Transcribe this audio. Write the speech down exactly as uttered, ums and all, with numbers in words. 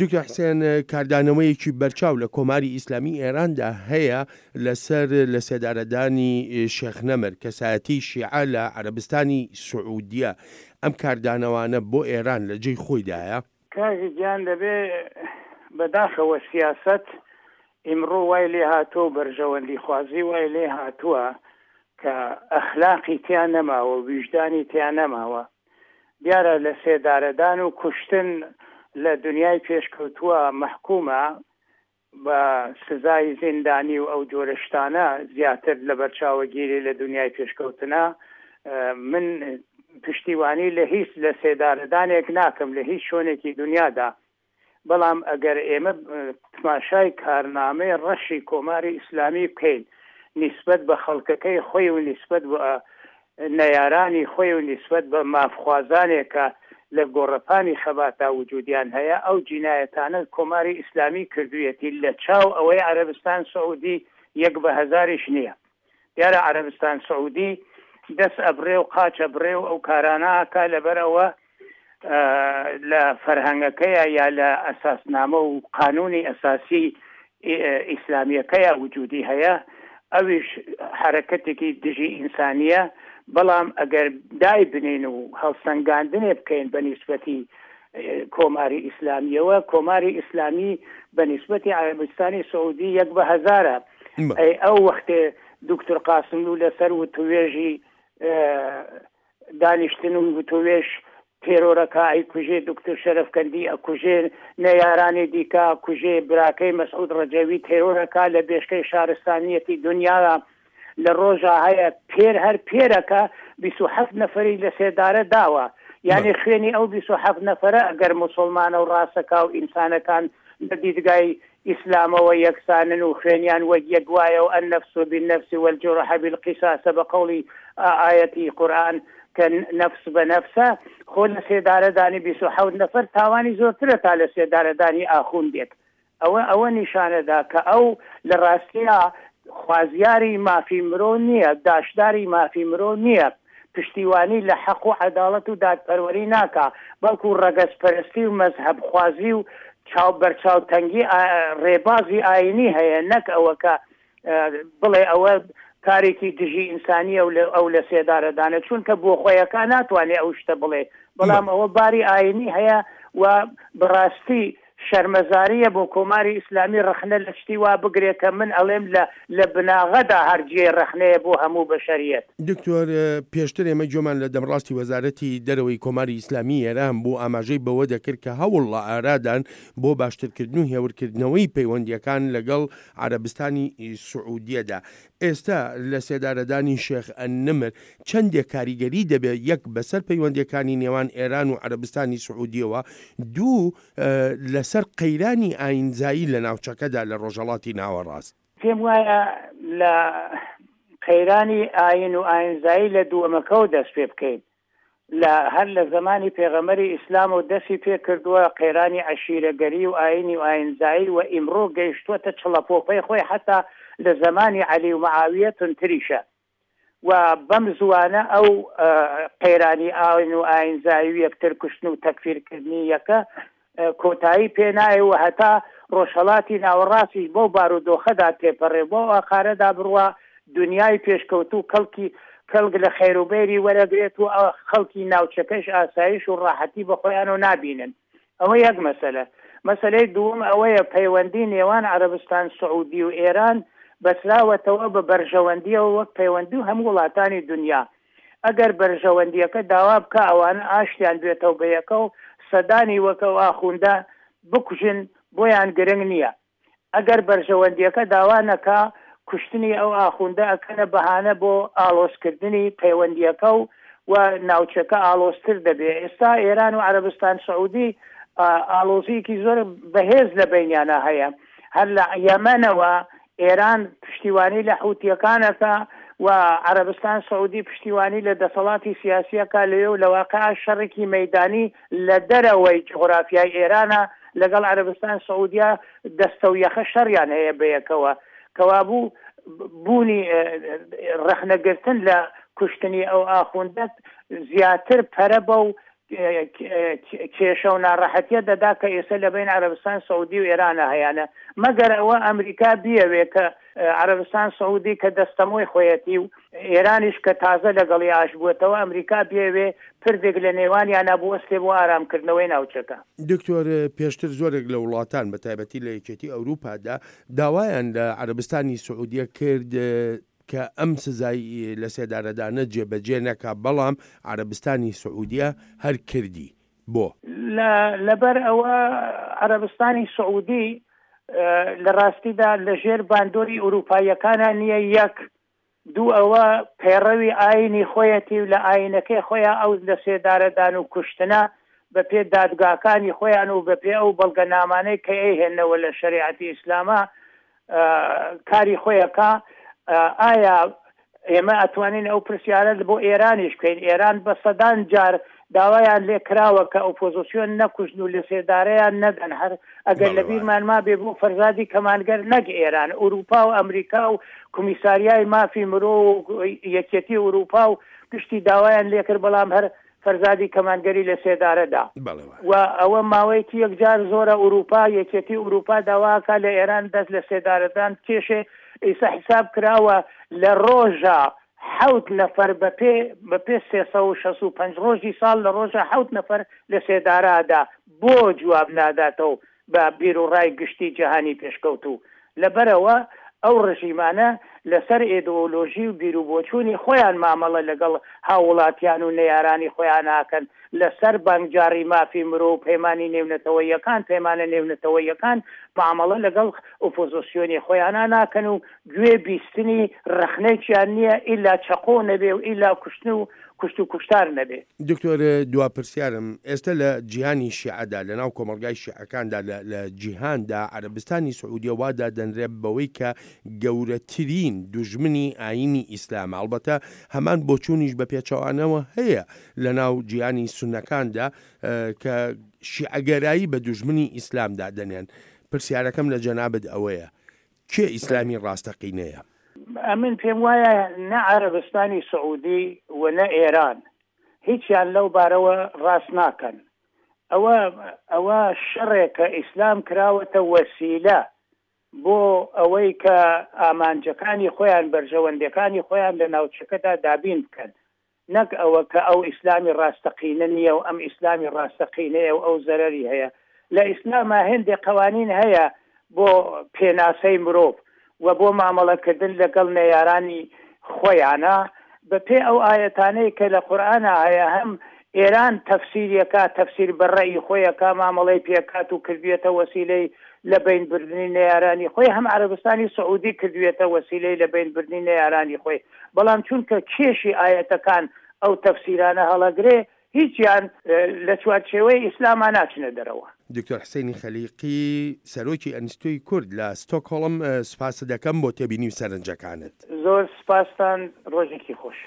دکتۆر حسێن، کاردانەوەیەکی بەرچاو لە کۆماری ئیسلامی ئێراندا هەیە لەسەر لەسێدارەدانی شێخ نەمر، کەسایەتی شیعە لە عەرەبستانی سعودیە، ئەم کاردانەوانە بۆ ئێران لە جێی خۆیدایە؟ کاک گیان دەبێ بەداخەوە سیاسەت ئیمڕۆ وای لێ هاتووە و بەرژەوەندیخوازی وای لێ هاتووە کە ئەخلاقی تیا نەماوە، ویژدانی تیا نەماوە. دیارە لە سێدارەدان و کوشتن لە دنیای پێشکەوتووە مەحکومە بە سزای زیندانی و ئەو جۆرە شتانە زیاتر لەبەرچاوەگیری لە دنیای پێشکەوتنە. من پشتیوانی لە هیچ لە سێدارەدانێک ناکەم لە هیچ شوێنێکی دنیادا، بەڵام ئەگەر ئێمە تماشای کارنامەی ڕەشی کۆماری ئیسلامی بکەین نیسبەت بە خەڵکەکەی خۆی و نیسبەت بە نەیارانی خۆی و نیسبەت بە مافخوازانێک کە لە گۆڕەپانی خەباتا وجودیان هەیە، ئەو جینایەتانە کۆماری ئیسلامی کردوویەتی لە چاو ئەوەی عەرەبستان سعودی یەک بە هەزاریش نییە. دیارە عەرەبستان سعودی دەست ئەبڕێ و قاچ ئەبڕێ و ئەو کارانە ئاکا، لەبەر ئەوە لە فەرهەنگەکەیە یا لە ئەساسنامە و قانونی ئەساسی ئیسلامیەکەیە وجودی هەیە، ئەویش حرەکەتێکی دژی ئینسانیە. بەڵام ئەگەر دای بنین و هەڵسەنگاندنێ بکەین بە نیسبەتی کۆماری ئیسلامیەوە، کۆماری ئیسلامی بە نیسبەتی عەرەبستانی سعودی یەک بە هەزارە. ئەی ئەو وەختێ دکتۆر قاسملوو لەسەر وتوێژی دانیشتن و وتوێژ تێرۆرەکە ئەیکوژێ، دکتۆر شەرەفکەندی ئەکوژێ، نەیارانی دیکە ئەکوژێ، براکەی مەسعود ڕەجەوی تێرۆرەکە لە بێشکەی شارستانیەتی دنیا لە ڕۆژا هەیە پێر هەر پێرەکە بیست و حەفت نەفەری لە سێدارە داوە. یعنی خوێنی ئەو بیست و حەفت نەفەرە ئەگەر مسلمانە و ڕاستەکا و ئینسانەکان لە دیدگای ئیسلامەوە یەکسانن و خوێنیان وەک یەک وایە و النفس بالنفس والجرح بالقصاص بە قەوڵی ئایەتی قورئان کە نەفس بە نەفسە، خۆ لە سێدارەدانی بیست و حەوت نەفەر تاوانی زۆرترە تا لە سێدارەدانی ئاخوندێک. ئەوە ئەوە نیشانەدا کە ئەو لە ڕاستیا خوازیاری مافی مرۆ نییە، داشداری مافی مرۆ نییە، پشتیوانی لە حەق و عەداڵەت و دادپەروەری ناکا، بەڵکو ڕەگەزپەرستی و مەزهەبخوازی و چاو بەرچاوتەنگی ڕێبازی ئاینی هەیە، نەک ئەوە کە بڵێ ئەوە کارێکی دژی ئینسانیە و ئەو لە سێدارەدانە، چونکە بۆ خۆیەکە ناتوانێ ئەو شتە بڵێ، بەڵام ئەوە باری ئاینی هەیە و بەڕاستی شەرمەزاریە بۆ کۆماری ئیسلامی ڕەخنە لە شتی وا بگرێ کە من ئەڵێم لە لە بناغەدا هەر جێی ڕەخنەیە بۆ هەموو بەشەریەت. دکتۆر، پێشتر ئێمە گوێمان لە دەمڕاستی وەزارەتی دەرەوەی کۆماری ئیسلامی ئێران بوو، ئاماژەی بەوە دەکرد کە هەوڵ لە ئارادان بۆ باشترکردن و هێورکردنەوەی پەیوەندییەکان لەگەڵ عەرەبستانی سعودیەدا. ئێستا لە سێدارەدانی شێخ النمر چەندێک کاریگەری دەبێت یەک بەسەر پەیوەندییەکانی نێوان ئێران و عەرەبستانی سعودیەوە، دوو لەسەر قەیرانی ئایینزایی لە ناوچەکەدا لە ڕۆژهەڵاتی ناوەڕاست؟ پێم وایە لە قەیرانی ئایین و ئایینزایی لە دووەمەکەوە دەست پێ بکەین. لە هەر لە زەمانی پێغەمبەری ئیسلامەوە دەستی پێ کردووە قەیرانی عەشیرەگەری و ئایینی و ئایینزایی و ئیمڕۆ گەیشتووەتە چڵەپۆپەی خۆی، حەتا لە زەمانی عەلی و معاویە توندتریشە و بەم زووانە ئەو قەیرانی ئاین و ئایینزایی و یەکتر کوشتن و تەکفیرکردنی یەکە کۆتایی پێ نایە و هەتا ڕۆژهەڵاتی ناوەڕاستیش بەو بارودۆخەدا تێپەڕێ و بەو ئاقارەدا بڕوا دونیای پێشکەوتوو کەڵکی کەڵک لە خێروبێری وەرەگرێت و خەڵکی ناوچەکەش ئاسایش و ڕاحەتی بە خۆیانەوە نابینن. ئەوە یەک مەسەلە. مەسەلەی دووەم ئەوەیە پەیوەندی نێوان عەرەبستان سعودی و ئێران بەسراوەتەوە بە بەرژەوەندیەوە وەک پەیوەندی هەموو وڵاتانی دونیا. ئەگەر بەرژەوەندیەکە داوا بکا ئەوانە ئاشتیان بێتەوە بە یەکەو سەدانی وەک ئەو ئاخوندە بکوژن بۆیان گرنگ نیە. ئەگەر بەرژەوەندیەکە داوا نەکا کوشتنی ئەو ئاخوندە ئەکەنە بەهانە بۆ ئاڵۆزکردنی پەیوەندیەکەو و ناوچەکە ئاڵۆزتر دەبێ. ئێستا ئێران و عەرەبستان سعودی ئاڵۆزیەکی زۆر بەهێز لە بەینیانا هەیە. هەر لە یەمەنەوە ئێران پشتیوانی لە حوتیەکان ئەکا و عەرەبستان سعودی پشتیوانی لە دەسەڵاتی سیاسی ئەکا لەوێ و لە واقعا شەڕێکی مەیدانی لە دەرەوەی جوغرافیای ئێرانە لەگەڵ عەرەبستان سعودیا دەستەو یەخە شەڕیان هەیە بەیەکەوە. کەوابوو بوونی ڕەخنەگرتن لە کوشتنی ئەو ئاخوندە زیاتر پەرە بەو کێشە و ناڕەحەتیە دەدا کە ئێستا لە بین عەرەبستان سعودی و ئێرانە هەیانە. مەگەر ئەوە ئەمریکا بیەوێ کە عەرەبستان سعودی کە دەستەمۆی خۆیەتی و ئێرانیش کە تازە لەگەڵی ئاش بووەتەوە، ئەمریکا بیەوێ پردێک لە نێوانیانە بوەستێ بۆ ئارامکردنەوەی ناوچەکە. دکتۆر، پێشتر زۆرێک لە وڵاتان بە تایبەتی لە یەکێتی ئەوروپادا داوایان لە عەرەبستانی سعودیە کرد کە ئەم سزای لە سێدارەدانە جێبەجێ نەکا، بەڵام عەرەبستانی سعودیە هەر کردی. بۆ؟ لەبەر ئەوە عەرەبستانی سعودی لە ڕاستیدا لەژێر باندۆری ئەوروپاییەکانە نییە. یەک دوو ئەوە پەیڕەوی ئاینی خۆیەتی و لە ئاینەکەی خۆیان ئەو لە سێدارەدان و کوشتنە بە پێ دادگاکانی خۆیان و بە پێ ئەو بەڵگەنامانەی کە ئەیهێنەوە لە شەریعەتی ئیسلامە کاری خۆیەکە. ئایا ئێمە ئەتوانین ئەو پرسیارە بۆ ئێرانیش بکەین؟ ئێران بە سەدان جار داوایان لێ کراوە کە ئۆپۆزیسیۆن نەکوژن و لە سێدارەیان نەدەن. هەر ئەگەر لە بیرمان ما بێ بۆ فەرزادی کەمانگەر نەک ئێران، ئەوروپا و ئەمریکا و کۆمیساریای مافی مرۆ و یەکێتی ئەوروپا و گشتی داوایان لێکرد، بەڵام هەر فەرزادی کەمانگەری لە سێدارەدا. و ئەوە ماوەیەکی یەکجار زۆرە ئەوروپا، یەکێتی ئەوروپا داواکە لە ئێران دەست لە سێدارەدان کێشێ. ئێستا حساب کراوە لە ڕۆژە حەوت نەفەر بەپێ بەپێ سێ سەد و شەست و پەنج ڕۆژی ساڵ لە ڕۆژە حەوت نەفەر لە سێدارادا. بۆ جواب ناداتەوە بە بیرۆڕای گشتی جیهانی پێشکەوتوو؟ لەبەرەوە ئەو ڕژیمانە لەسەر ئیدۆلۆژی و بیرروبۆچوونی خۆیان مامەڵە لەگەڵ هاوڵاتیان و نەیارانی خۆیان ناکەن، لەسەر بانگجاری مافی مرۆ و پەیمانی نێونەتەوەیەکان، پەیمانە نێونەتەوەیەکان معامەڵە لەگەڵ ئۆپۆزیسیۆنی خۆیانە ناکەن و گوێ بیستنی ڕەخنێکیان نییە ئیلا چەقۆ نەبێ و ئیلا کوشتن و کوشت و کوشتار نەبێ. دکتۆر، دوا پرسیارم ئێستا لە جیهانی شیعەدا، لە ناو کۆمەلگای شیعەکاندا لە جیهاندا، عەرەبستانی سعودیە وا دادەنرێت بەوەی کە گەورەترین دوژمنی ئاینی ئیسلامە. ئەڵبەتە هەمان بۆچوونیش بە پێچەوانەوە هەیە لە ناو جیهانی سوننەکاندا کە شیعەگەرایی بە دوژمنی ئیسلام دادەنێن. پرسیارەکەم لە جەنابت ئەوەیە، کێ ئیسلامی ڕاستەقینەیە؟ ئەمن پێم وایە نە عەرەبستانی سعودی و نە ئێران هیچیان لەو بارەوە ڕاست ناکەن. ئەوە ئەوە شەڕێکە ئیسلام کراوەتە وەسیلە بۆ ئەوەی کە ئامانجەکانی خۆیان، بەرژەوەندەکانی خۆیان لە ناوچەکەدا دابین بکەن، نەک ئەوە کە ئەو ئیسلامی ڕاستەقینە نییە و ئەم ئیسلامی ڕاستەقینەیە و ئەو زەرەری هەیە. لە ئیسلاما هێندێک قوانین هەیە بۆ پێناسەی مرۆڤ و بۆ مامەڵەکردن لەگەڵ نەیارانی خۆیانە. بەپێ ئەو ئاەتانەی کە لە قورئانا هەیە، هەم ئێران تەفسیریەکە تەفسیر بە ڕەئی خۆیەکە مامەڵەی پێکات و کردوێتە وەسیلەی لە بینبردنی نەیارانی خۆی، هەم عەرەبستانی سعودی کردوێتە وەسیلەی لە بینبردنی نەیارانی خۆی. بەڵام چونکە کێشی ئاەتەکان ئەو تەفسیرانە هەڵەگرێ، هیچیان لە چوارچێوەی ئیسلاما ناچنە دەرەوە. دکتۆر حسێنی خەلیقی، سەرۆکی ئەنستیتۆی کورد لە ستۆکهۆڵم، سپاست دەکەم بۆ تێبینی و سەرنجەکانت. زۆر سپاستان، ڕۆژێکی خۆش.